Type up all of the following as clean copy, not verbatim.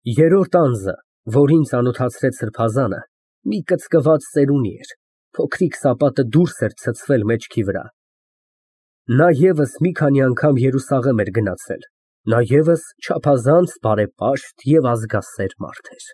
Երրորդ անձը, որին ծանոթացրեց սրբազանը, մի կծկված ծերունի էր, փոքրիկ սապատը դուրս էր ցցվել մեջքի վրա։ Նա ևս մի քանի անգամ Երուսաղեմ էր գնացել, նա ևս չափազանց բարեպաշտ և ազգասեր մարդ էր։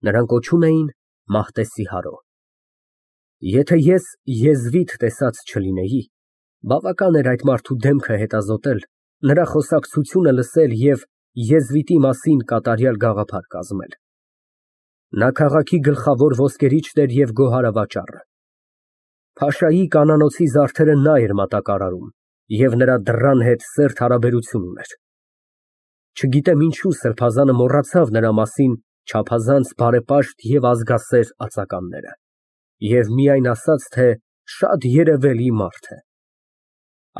Նրան կոչում էին Մահտեսի Հարո։ Եթե ես եզվիտ տեսած չլինեի, բավական էր այդ մարդու դեմքը հետազոտել, նրա խոսակցությունը լսել և եզվիտի մասին կատարյալ գաղափար կազմել։ Նա քաղաքի գլխավոր ոսկերիչն էր և գոհարավաճառը։ Փաշայի կանանոցի զարդերը նա էր մատակարարում և նրա դռան հետ սերտ հարաբերություն ուներ։ Չգիտեմ ինչու սրբազանը մոռացավ նրա մասին չափազանց բարեպաշտ և ազգասեր ածականները և միայն ասաց, թե շատ երևելի մարդ է։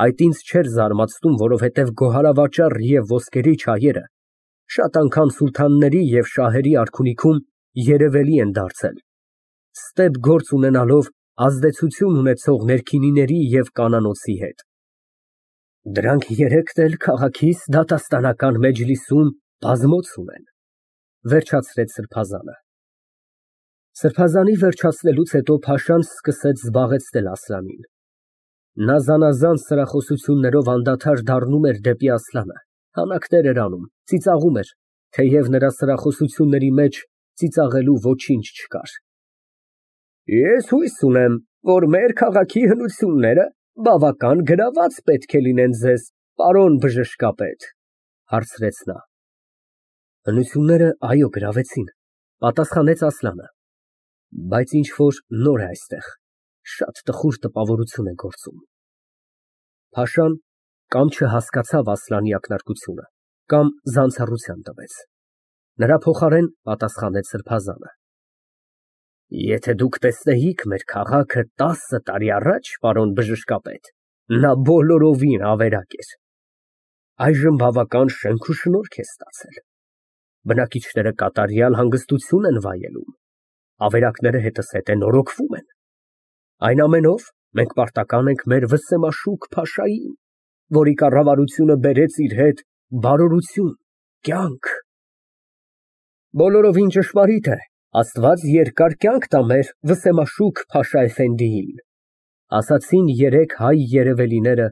Այդ ինձ չէր զարմացնում, որովհետև գոհարավաճառ և ոսկերիչ հայերը շատ անգամ սուլթանների և շահերի արքունիքում երևելի են դարձել, ստեփ գործ ունենալով ազդեցություն ունեցող ներքինիների և կանանոցի հետ։ Դրանք երեքն էլ քաղաքիս դատաստանական մեջլիսում բազմոցում են, վերջացրեց սրբազանը։ Սրբազանի վերջացնելուց հետո փաշան սկսեց զբաղեցնել Ասլանին։ Նա զանազան սրախոսություններով անդադար դառնում էր դեպի Ասլանը, հանակներ էր անում, ծիծաղում էր, թեև նրա սրախոսությունների մեջ ծիծաղելու ոչինչ չկար։ Ես հույս ունեմ, որ մեր քաղաքի հնությունները բավական գրաված պետք է լինեն ձեզ, պարոն բժշկապետ, հարցրեց նա։ Հնությունները, այո, գրավեցին, պատասխանեց Ասլանը, բայց ինչ որ նոր է այստեղ, շատ տխուր տպավորություն է գործում։ Փաշան կամ չհասկացավ Ասլանի ակնարկությունը, կամ զանցառության տվեց։ Նրա փոխարեն պատասխանեց սրբազանը։ Եթե դուք տեսնեիք մեր քաղաքը 10 տարի առաջ, պարոն բժշկապետ, նա բոլորովին ավերակ էր։ Այժմ բավական շենք ու շնորհք է ստացել։ Բնակիչները կատարյալ հանգստություն են վայելում, ավերակները հետզհետե նորոգվում են։ Այն ամենով մենք պարտական ենք մեր վսեմաշուք Փաշային, որի կառավարությունը բերեց իր հետ բարօրություն, կյանք։ Բոլորովին ճշմարիտ է, Աստված երկար կյանք տա մեր վսեմաշուք Փաշա էֆենդիին, ասացին երեք հայ երևելիները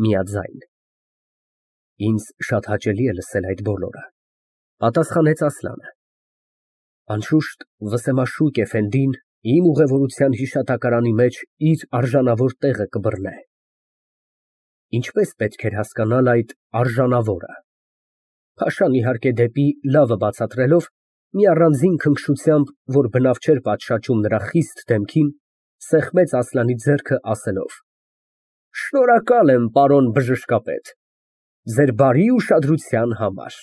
միաձայն։ Ինձ շատ հաճելի է լսել այդ բոլորը, պատասխանեց Ասլանը։ Անշուշտ վսեմաշուք էֆենդին իմ ուղևորության հիշատակարանի մեջ իր արժանավոր տեղը կբռնե։ Ինչպես պետք էր հասկանալ այդ արժանավորը։ Փաշան իհարկե դեպի լավը բացատրելով, մի առանձին քնքշությամբ, որ բնավ չէր պատշաճում նրա խիստ դեմքին, սեղմեց Ասլանի ձեռքը ասելով. Շնորհակալ եմ, պարոն բժշկապետ, ձեր բարի ուշադրության համար։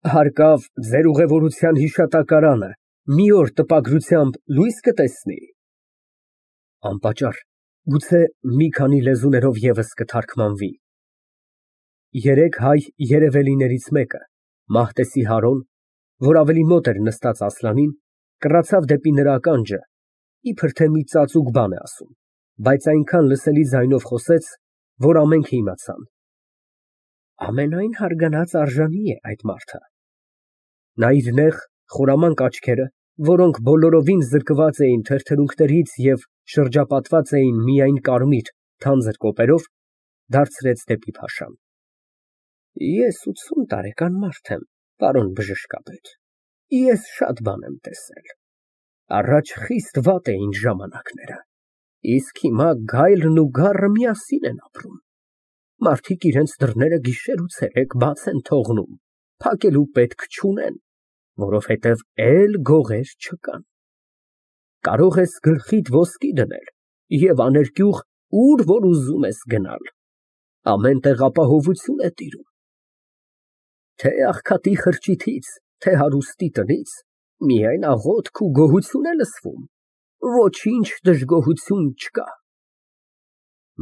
Հարկավ ձեր ուղևորության հիշատակարանը մի օր տպագրությամբ լույս կտեսնի։ Անպատճառ, գուցե մի քանի լեզուներով ևս կթարգմանվի։ Երեք հայ երևելիներից մեկը, Մահտեսի Հարոն, որ ավելի մոտ էր նստած Ասլանին, կռացավ դեպի նրա ականջը, իբր թե մի ծածուկ բան է ասում, բայց այնքան լսելի ձայնով խոսեց, որ ամենքը իմացան։ Ամենայն հարգանած արժանի է այդ մարդը։ Նա իր նեղ, խորամանկ աչքերը, որոնք բոլորովին զրկված էին թրթրունքներից և շրջապատված էին միայն կարմիր, թանձր կոպերով, դարձրեց դեպի Փաշան։ Ես 80 տարեկան մարդ եմ, պարոն բժշկապետ, ես շատ բան եմ տեսել։ Առաջ խիստ վատ էին ժամանակները, իսկ հիմա գայլն ու գառը միասին են ապրում։ Մարդիկ իրենց դռները գիշեր ու ցերեկ բաց են թողնում, փակելու պետք չունեն, որովհետև էլ գողեր չկան։ Կարող ես գլխիդ ոսկի դնել և աներկյուղ ուր որ ուզում ես գնալ, ամեն տեղ ապահովություն է տիրում։ Թե աղքատի խրճիթից, թե հարուստի տնից, միայն աղոթք ու գոհություն է լսվում, ոչինչ դժգոհություն չկա։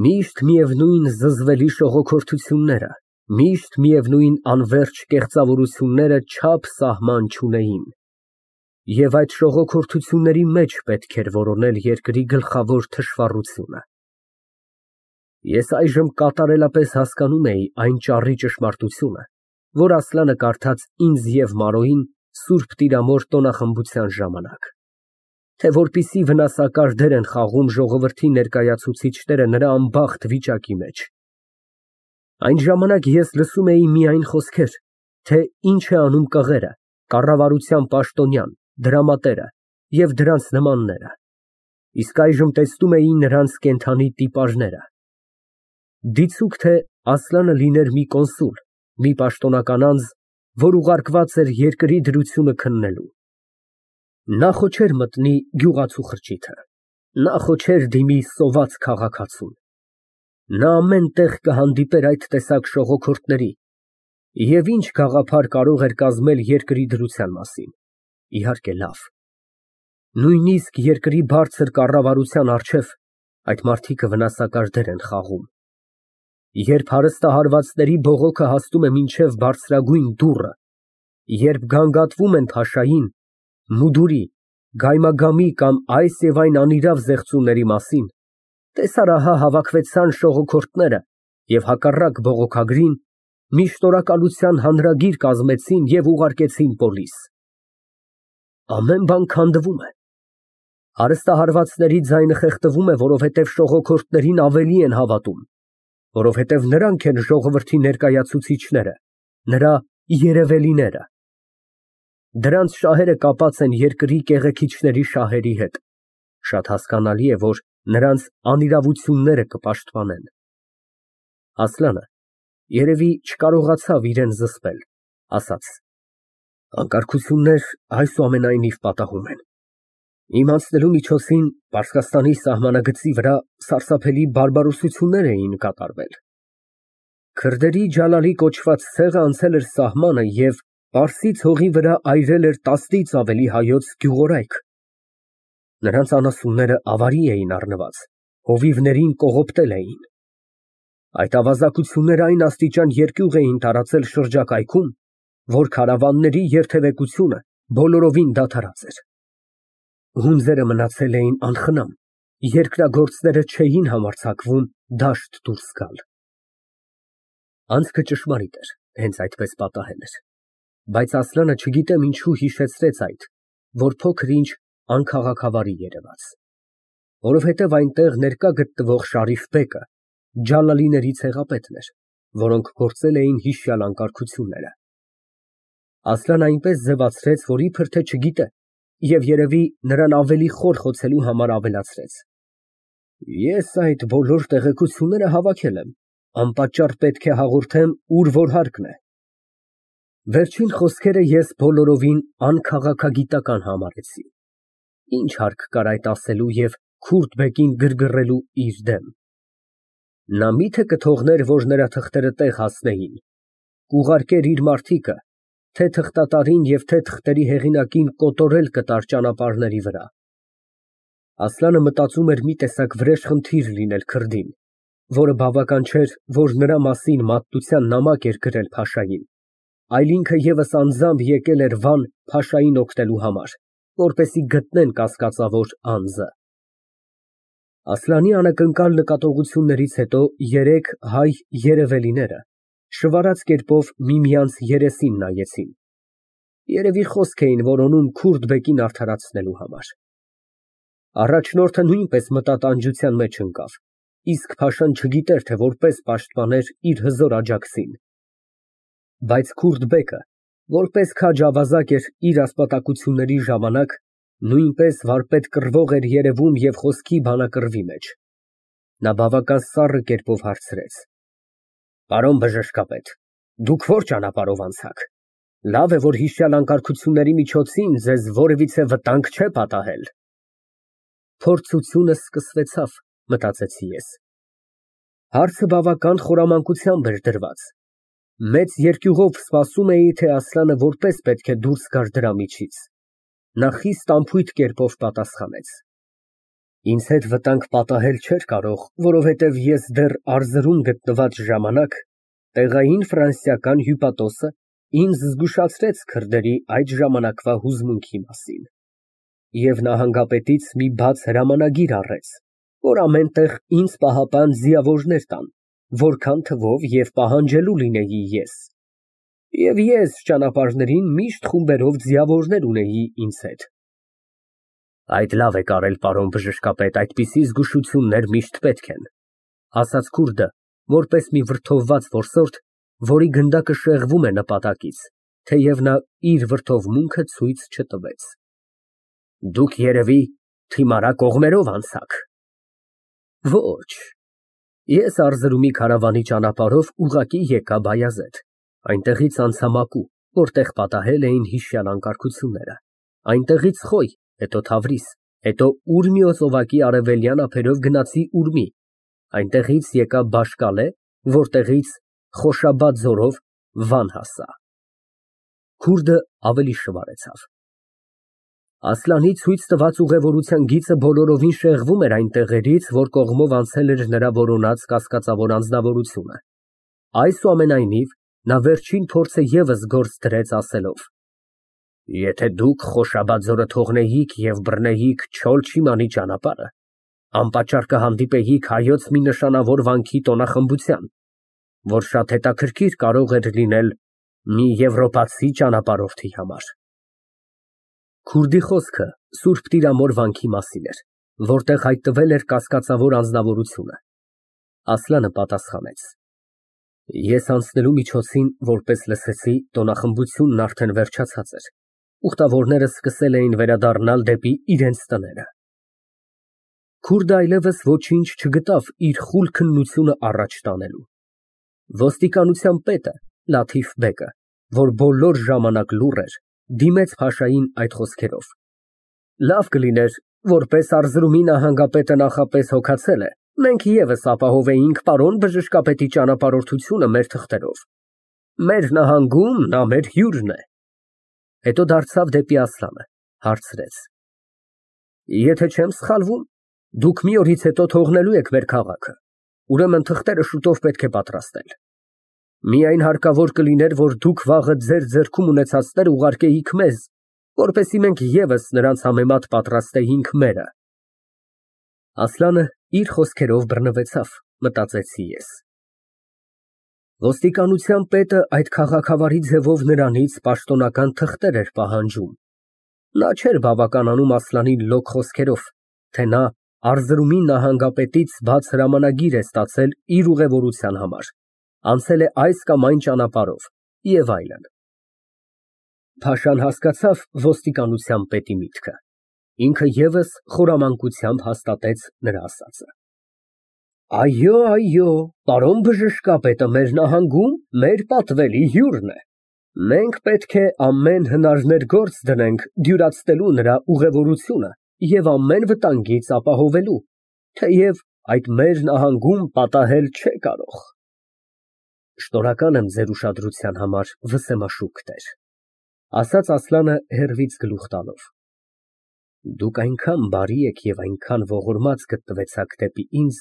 Միշտ միևնույն զզվելի շողոքորթությունները, միշտ միևնույն անվերջ կեղծավորությունները չափ սահման չունեին։ Եվ այդ շողոքորթությունների մեջ պետք էր որոնել երկրի գլխավոր թշվառությունը։ Ես այժմ կատարելապես հասկանում էի այն ճառի ճշմարտությունը, որ Ասլանը կարդաց ինձ և Մարոյին Սուրբ Տիրամոր տոնախմբության ժամանակ, թե որպիսի վնասակար դեր են խաղում ժողովրդի ներկայացուցիչները նրա անբախտ վիճակի մեջ։ Այն ժամանակ ես լսում էի միայն խոսքեր, թե ինչ է անում կղերը, կառավարության պաշտոնյան, դրամատերը և դրանց նմանները, իսկ այժմ տեսնում էի նրանց կենդանի տիպաժները։ Դիցուք թե Ասլանը լիներ մի կոնսուլ, մի պաշտոնական անձ, որ ուղարկված էր երկրի դրությունը քննելու։ Նա խո չէր մտնի գյուղացու խրճիթը, նա խո չէր դիմի սոված քաղաքացուն։ Նա ամեն տեղ կհանդիպեր այդ տեսակ շողոքորթների և ինչ գաղափար կարող էր կազմել երկրի դրության մասին, իհարկե լավ։ Նույնիսկ երկրի բարձր կառավարության առջև այդ մարդիկը վնասակար դեր են խաղում։ Երբ հարստահարվածների բողոքը հասնում է մինչև բարձրագույն դուռը, երբ գանգատվում են փաշային, մուդուրի, գայմագամի կամ այս և այն անիրավ զեղծումների մասին, տեսար ահա հավաքվեցան շողոքորթները և հակառակ բողոքագրին մի շնորհակալության հանրագիր կազմեցին և ուղարկեցին պոլիս։ Ամեն բան քանդվում է։ Հարստահարվածների ձայնը խեղդվում է, որովհետև շողոքորթներին ավելի են հավատում, որովհետև նրանք են ժողովրդի ներկայացուցիչները, նրա երևելիները։ Դրանց շահերը կապած են երկրի կեղեքիչների շահերի հետ, շատ հասկանալի է, որ նրանց անիրավությունները կպաշտպանեն։ Ասլանը երևի չկարողացավ իրան զսպել, ասաց. Անկարգություններ այսուամենայնիվ պատահում են։ Իմ անցնելու միջոցին Պարսկաստանի սահմանագծի վրա սարսափելի բարբարոսություններ էին կատարվել։ Քրդերի Ջալալի կոչված ցեղը անցել էր սահմանը և Պարսից հողի վրա այրել էր 10-ից ավելի հայոց գյուղորայք։ Նրանց անասունները ավարի էին առնված, հովիվներին կողոպտել էին։ Այդ ավազակությունները այն աստիճան երկյուղ էին տարածել շրջակայքում, որ քարավանների երթևեկությունը բոլորովին դադարած էր։ Հունձերը մնացել էին անխնամ, երկրագործները չէին համարձակվում դաշտ դուրս գալ։ Անցքը ճշմարիտ էր, հենց այդպես պատահել էր, բայց Ասլանը չգիտեմ ինչու հիշեցրեց այդ, որ փոքր-ինչ անքաղաքավարի երևաց, որովհետև այնտեղ ներկա գտնվող Շարիֆ բեկը Ջալալիների ցեղապետն էր, որոնք գործել էին հիշյալ անկարգությունները։ Ասլան այնպես ձևացրեց, որ իբր թե չգիտե, և երևի նրան ավելի խոր խոցելու համար ավելացրեց. Ես այդ բոլոր տեղեկությունները հավաքել եմ, անպատճառ պետք է հաղորդեմ, ուր որ հարկն է։ Վերջին խոսքերը ես բոլորովին անքաղաքագիտական համարեցի։ Ինչ հարկ կար այդ ասելու և քուրդ բեկին գրգռելու իր դեմ։ Նա մի՞թե կթողներ, որ նրա թղթերը տեղ հասնեին, կուղարկեր իր մարդիկը, թե թղթատարին և թե թղթերի հեղինակին կոտորել կտար ճանապարհների վրա։ Ասլանը մտածում էր մի տեսակ վրեժխնդիր լինել քրդին, որը բավական չէր, որ նրա մասին մատտության նամակ էր գրել փաշային, այլ ինքը ևս անձամբ եկել էր Վան փաշային օգնելու համար, որպեսզի գտնեն կասկածավոր անձը։ Ասլանի անակնկալ նկատողություններից հետո երեք հայ երևելիները շվարած կերպով միմյանց երեսին նայեցին, երևի խոսք էին որոնում քուրդ բեկին արդարացնելու համար։ Առաջնորդը նույնպես մտատանջության մեջ ընկավ, իսկ փաշան չգիտեր, թե որպես պաշտպաներ իր հզոր աջակցին։ Բայց քուրդ բեկը, որպես քաջ ավազակ էր իր ասպատակությունների ժամանակ, նույնպես վարպետ կռվող էր երևում և խոսքի բանակռվի մեջ։ Նա բավական սառը կերպով հարցրեց. Պարոն բժշկապետ, դուք ո՞ր ճանապարհով անցաք։ Լավ է, որ հիշյալ անկարգությունների միջոցին ձեզ որևիցե վտանգ չէ պատահել։ Փորձությունը սկսվեցավ, մտածեցի ես։ Հարցը բավական խորամանկությամբ էր դրված։ Մեծ երկյուղով սպասում էի, թե Ասլանը որպես պետք է դուրս գար դրա միջից։ Նա խիստ անփույթ կերպով պատասխանեց. Ինձ հետ վտանգ պատահել չէր կարող, որովհետև ես դեռ առզրում գտնված ժամանակ տեղային ֆրանսիական հյուպատոսը ինձ զգուշացրեց քրդերի այդ ժամանակվա հուզմունքի մասին։ Եվ նահանգապետից մի բաց հրամանագիր առեց, որ ամեն տեղ ինձ պահապան ձիավորներ տան, որքան թվով և պահանջելու լինեի ես։ Եվ ես ճանապարհներին միշտ խումբերով ձիավորներ ունեի ինձ հետ։ Այդ լավ եք արել, պարոն բժշկապետ, այդպիսի զգուշություններ միշտ պետք են, ասաց քուրդը, որպես մի վրդովված որսորդ, որի գնդակը շեղվում է նպատակից, թեև նա իր վրդովմունքը ցույց չտվեց։ Դուք երևի թիմարա կողմերով անցաք։ Ոչ, ես Արզրումի քարավանի ճանապարհով ուղղակի եկա Բայազեդ, այնտեղից անցա Մակու, որտեղ պատահել էին հիշյալ անկարգությունները, այնտեղից Խոյ, հետո Թավրիս, հետո Ուրմիո ծովակի արևելյան ափերով գնացի Ուրմի, այնտեղից եկա Բաշկալե, որտեղից Խոշաբադ ձորով Վան հասա։ Քուրդը ավելի շվարեցավ։ Ասլանի ցույց տված ուղևորության գիծը բոլորովին շեղվում էր այն տեղերից, որ կողմով անցել էր նրա որոնած կասկածավոր անձնավորությունը։ Այսուամենայնիվ, նա վերջին փորձը ևս գործ դրեց ասելով. Եթե դուք Խոշաբադ ձորը թողնեիք և բռնեիք Չոլ Չիմանի ճանապարհը, անպատճառ կհանդիպեիք հայոց մի նշանավոր վանքի տոնախմբության, որ շատ հետաքրքիր կարող էր լինել մի եվրոպացի ճանապարհորդի համար։ Քուրդի խոսքը Սուրբ Տիրամոր վանքի մասին էր, որտեղ հայտնվել էր կասկածավոր անձնավորությունը։ Ասլանը պատասխանեց. Ես անցնելու միջոցին, որպես լսեցի, տոնախմբությունն արդեն վերջացած էր, ուխտավորները սկսել էին վերադառնալ դեպի իրենց տները։ Քուրդը այլևս ոչինչ չգտավ իր խուլ քննությունը առաջ տանելու։ Ոստիկանության պետը Լաթիֆ բեկը, որ բոլոր ժամանակ լուռ էր, դիմեց փաշային այդ խոսքերով. Լավ կլիներ, որպես Արզրումի նահանգապետը նախապես հոգացել է, մենք ևս ապահովեինք պարոն բժշկապետի ճանապարհորդությունը մեր թղթերով։ Մեր նահանգում նա մեր հյուրն է։ Հետո դարձավ դեպի Ասլանը, հարցրեց. Եթե չեմ սխալվում, դուք մի օրից հետո թողնելու եք մեր քաղաքը, ուրեմն թղթերը շուտով պետք է պատրաստել։ Միայն հարկավոր կլիներ, որ դուք վաղը ձեր ձեռքում ունեցածները ուղարկեիք մեզ, որպեսզի մենք ևս նրանց համեմատ պատրաստեինք մերը։ Ասլանը իր խոսքերով բռնվեցավ, մտածեցի ես։ Ոստիկանության պետը այդ քաղաքավարի ձևով նրանից պաշտոնական թղթեր էր պահանջում։ Նա չէր բավականանում Ասլանին լոկ խոսքերով, թե նա Արզրումի նահանգապետից բաց հրամանագիր է ստացել իր ուղևորության համար, անցել է այս կամ այն ճանապարհով և այլն։ Փաշան հասկացավ ոստիկանության պետի միտքը, ինքը ևս խորամանկությամբ հաստատեց նրա ասածը։ Այո, պարոն բժշկապետը մեր նահանգում մեր պատվելի հյուրն է։ Մենք պետք է ամեն հնարներ գործ դնենք դյուրացնելու նրա ուղևորությունը և ամեն վտանգից ապահովելու, թեև այդ մեր նահանգում պատահել չէ կարող։ Շնորհակալ եմ ձեր ուշադրության համար, վսեմաշուք տեր, ասաց Ասլանը հեռվից գլուխ տալով։ Դուք այնքան բարի եք և այնքան ողորմած գտնվեցաք դեպի ինձ,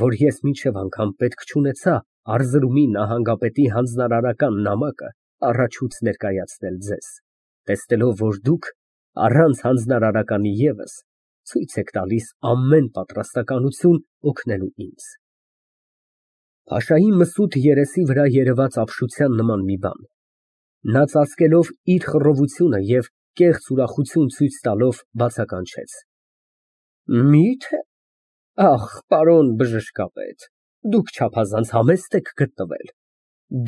որ ես մինչև անգամ պետք չունեցա Արզրումի նահանգապետի հանձնարարական նամակը առաջուց ներկայացնել ձեզ, տեսնելով, որ դուք առանց հանձնարարականի ևս ցույց եք տալիս ամեն պատրաստակամություն օգնելու ինձ։ Փաշայի մսութ երեսի վրա երևաց ապշության նման մի բան։ Նա ծածկելով իր խռովությունը և կեղծ ուրախություն ցույց տալով բացականչեց. Մի՞թե։ Ախ, պարոն բժշկապետ, դուք չափազանց համեստ եք գտնվել։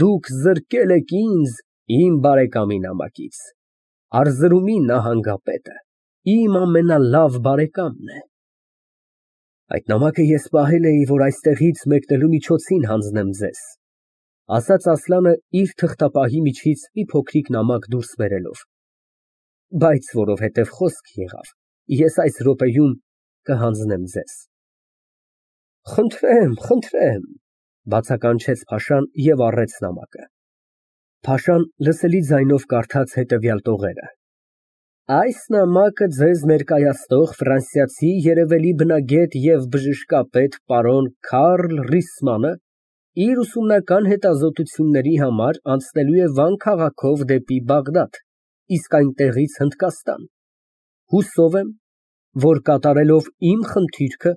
Դուք զրկել եք ինձ իմ բարեկամի նամակից։ Արզրումի նահանգապետը իմ ամենալավ բարեկամն է։ Այդ նամակը ես պահել էի, որ այստեղից մեկնելու միջոցին հանձնեմ ձեզ, ասաց Ասլանը իր թղթապահի միջից մի փոքրիկ նամակ դուրս բերելով, բայց որովհետև խոսք եղավ, ես այս րոպեում կհանձնեմ ձեզ։ Խնդրեմ, բացականչեց Փաշան և առեց նամակը։ Փաշան լսելի ձայնով կարդաց հետևյալ տողերը. Այս նամակը ձեզ ներկայացնող ֆրանսիացի երևելի բնագետ և բժշկապետ պարոն Քարլ Ռիսմանը իր ուսումնական հետազոտությունների համար անցնելու է Վան քաղաքով դեպի Բաղդադ, իսկ այնտեղից Հնդկաստան։ Հուսով եմ, որ կատարելով իմ խնդիրքը,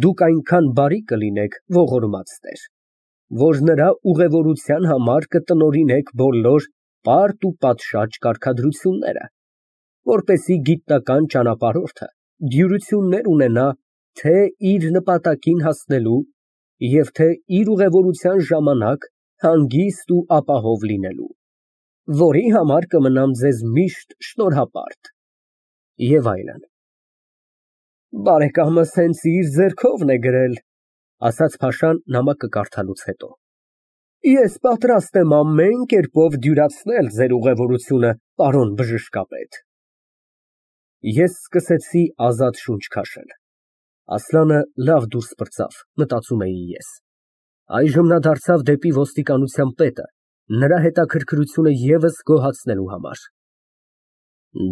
դուք այնքան բարի կլինեք, ողորմած տեր, որ նրա ուղևորության համար կտնօրինեք բոլոր պարտ ու պատշաճ կարգադրությունները, որպեսզի գիտնական ճանապարհորդը դյուրություններ ունենա թե իր նպատակին հասնելու և թե իր ուղևորության ժամանակ հանգիստ ու ապահով լինելու, որի համար կմնամ ձեզ միշտ շնորհապարտ և այլն։ Բարեկամս հենց իր ձեռքովն է գրել, ասաց փաշան նամակը կարդալուց հետո։ Ես պատրաստ եմ ամեն կերպով դյուրացնել ձեր ուղևորությունը, պարոն բժշկապետ։ Ես սկսեցի ազատ շունչ քաշել։ Ասլանը լավ դուրս պրծավ, մտածում էի ես։ Այժմ նա դարձավ դեպի ոստիկանության պետը, նրա հետաքրքրությունը ևս գոհացնելու համար։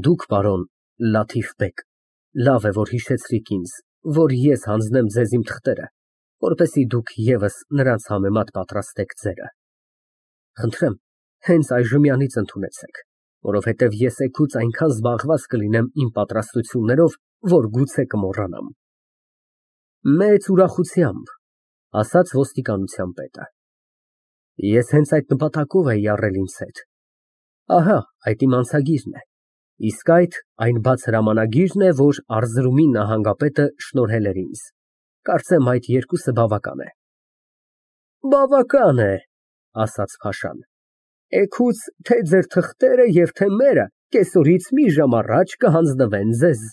Դուք, պարոն Լաթիֆ բեգ, լավ է, որ հիշեցրիք ինձ, որ ես հանձնեմ ձեզ իմ թղթերը, որպեսզի դուք ևս նրանց համեմատ պատրաստեք ձերը։ Խնդրեմ, հենց այժմյանից ընդունեցեք, որովհետև ես էգուց այնքան զբաղված կլինեմ իմ պատրաստություններով, որ գուցե կմոռանամ։ Մեծ ուրախությամբ, ասաց ոստիկանության պետը։ Ես հենց այդ նպատակով էի առել ինձ հետ։ Ահա, այդ իմ անցագիրն է, իսկ այդ այն բաց հրամանագիրն է, որ Արզրումի նահանգապետը շնորհել էր ինձ։ Կարծեմ այդ երկուսը բավական է։ Բավական է, ասաց փաշան։ Էգուց թե ձեր թղթերը և թե մերը կեսօրից մի ժամ առաջ կհանձնվեն ձեզ։